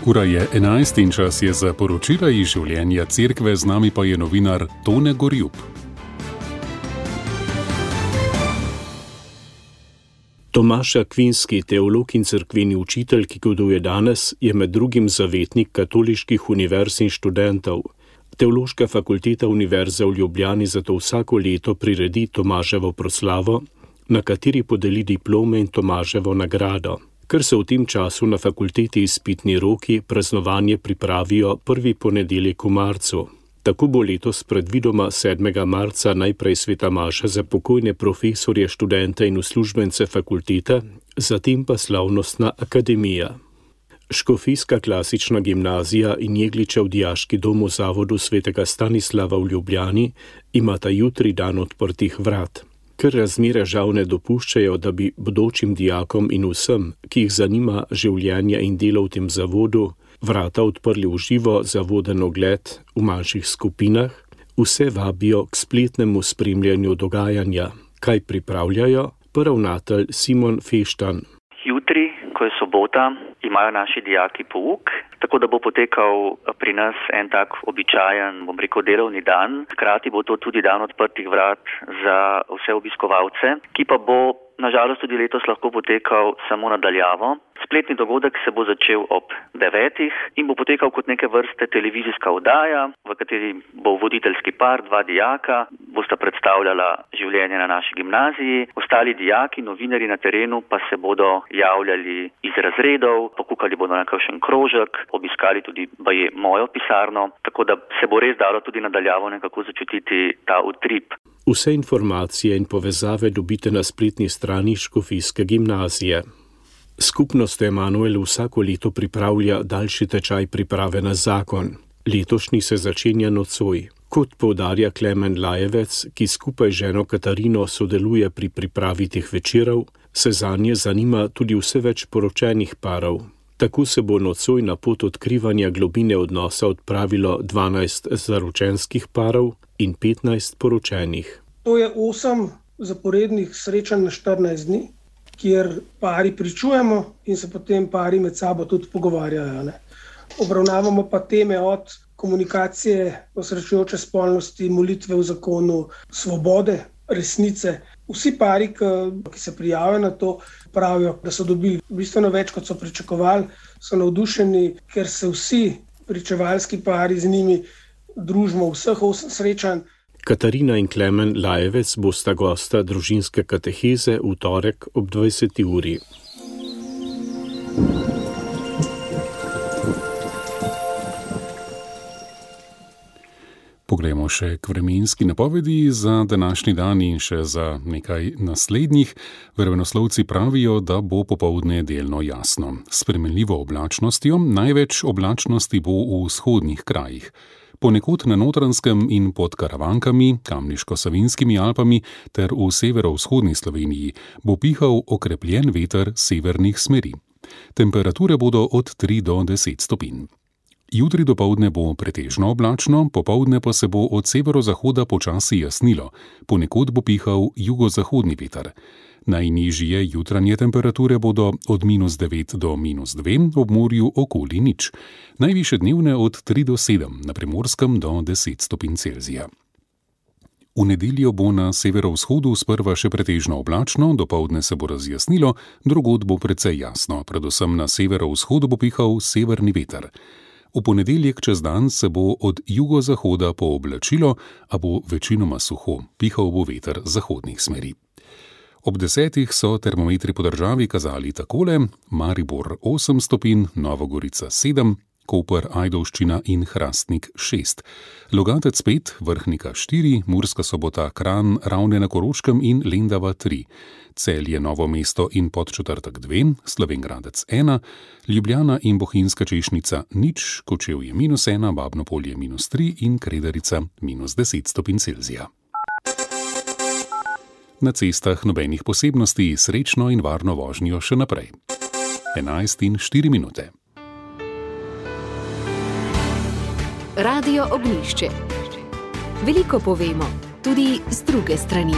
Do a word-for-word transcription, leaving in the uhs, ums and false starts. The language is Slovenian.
Ura je enajst in čas je za poročila iz življenja cerkve, z nami pa je novinar Tone Gorjup. Tomaž Akvinski, teolog in cerkveni učitelj, ki goduje danes, je med drugim zavetnik katoliških univerz in študentov. Teološka fakulteta Univerze v Ljubljani zato vsako leto priredi Tomaževo proslavo, na kateri podeli diplome in Tomaževo nagrado. Ker se v tem času na fakulteti izpitni roki, praznovanje pripravijo prvi ponedeljek v marcu. Tako bo letos predvidoma sedmega marca najprej sveta maša za pokojne profesorje, študente in uslužbence fakultete, zatem pa slavnostna akademija. Škofijska klasična gimnazija in Jegličev dijaški dom v zavodu svetega Stanislava v Ljubljani imata jutri dan odprtih vrat. Ker razmere žal ne dopuščajo, da bi bodočim dijakom in vsem, ki jih zanima življenje in delo v tem zavodu, vrata odprli v živo za voden ogled v manjših skupinah, vse vabijo k spletnemu spremljanju dogajanja. Kaj pripravljajo? Ravnatelj Simon Feštan. Jutri, ko je sobota, imajo naši dijaki pouk, tako da bo potekal pri nas en tak običajen, bom rekel, delovni dan. Hkrati bo to tudi dan odprtih vrat za vse obiskovalce, ki pa bo nažalost tudi letos lahko potekal samo nadaljavo. Spletni dogodek se bo začel ob devetih in bo potekal kot neke vrste televizijska oddaja, v kateri bo voditeljski par, dva dijaka, bosta predstavljala življenje na naši gimnaziji. Ostali dijaki, novinarji na terenu pa se bodo javljali iz razredov, pokukali bodo na kakšen krožek, obiskali tudi baje mojo pisarno, tako da se bo res dalo tudi nadaljavo nekako začutiti ta utrip. Vse informacije in povezave dobite na spletni strani Škofijske gimnazije. Skupnost Emanuel vsako leto pripravlja daljši tečaj priprave na zakon. Letošnji se začenja nocoj. Kot poudarja Klemen Lajevec, ki skupaj z ženo Katarino sodeluje pri pripravi teh večerov, se zanje zanima tudi vse več poročenih parov. Tako se bo nocoj na pot odkrivanja globine odnosa odpravilo dvanajst zaročenskih parov in petnajst poročenih. To je osem zaporednih srečanj na štirinajst dni, kjer pari pričujemo in se potem pari med sabo tudi pogovarjajo. Ne? Obravnavamo pa teme od komunikacije, osrečujoče spolnosti, molitve v zakonu, svobode, resnice. Vsi pari, ki se prijavijo na to, pravijo, da so dobili bistveno več, kot so pričakovali, so navdušeni, ker se vsi pričevalski pari z njimi družimo vseh osem srečanj. Katarina in Klemen Lajevec bosta gosta družinske kateheze v torek ob dvajseti uri. Poglejmo še k vremenski napovedi za današnji dan in še za nekaj naslednjih. Vremenoslovci pravijo, da bo popoldne delno jasno. S spremenljivo oblačnostjo, največ oblačnosti bo v vzhodnih krajih. Ponekod na Notranjskem in pod Karavankami, Kamniško-Savinjskimi Alpami ter v severovzhodni Sloveniji bo pihal okrepljen veter severnih smeri. Temperature bodo od tri do deset stopinj. Jutri dopoldne bo pretežno oblačno, popoldne pa se bo od severozahoda počasi jasnilo, ponekod bo pihal jugozahodni veter. Najnižje jutranje temperature bodo od minus devet do minus dve, ob morju okoli nič. Najvišje dnevne od tri do sedem, na Primorskem do deset stopinj Celzija. V nedeljo bo na severovzhodu sprva še pretežno oblačno, dopoldne se bo razjasnilo, drugod bo precej jasno, predvsem na severovzhodu bo pihal severni veter. V ponedeljek čez dan se bo od jugozahoda pooblačilo, a bo večinoma suho, pihal bo veter zahodnih smeri. Ob desetih so termometri po državi kazali takole: Maribor osem stopinj, Nova Gorica sedem, Koper, Ajdovščina in Hrastnik šest, Logatec pet, Vrhnika štiri, Murska Sobota, Kranj, Ravne na Koroškem in Lendava tri, Celje, Novo mesto in Podčetrtek dve, Slovenj Gradec ena, Ljubljana in Bohinjska Češnica nič, Kočevje minus ena, Babno Polje minus tri in Kredarica minus deset stopinj Celzija. Na cestah nobenih posebnosti, srečno in varno vožnjo še naprej. enajst in štiri minute. Radio Ognjišče. Veliko povemo, tudi z druge strani.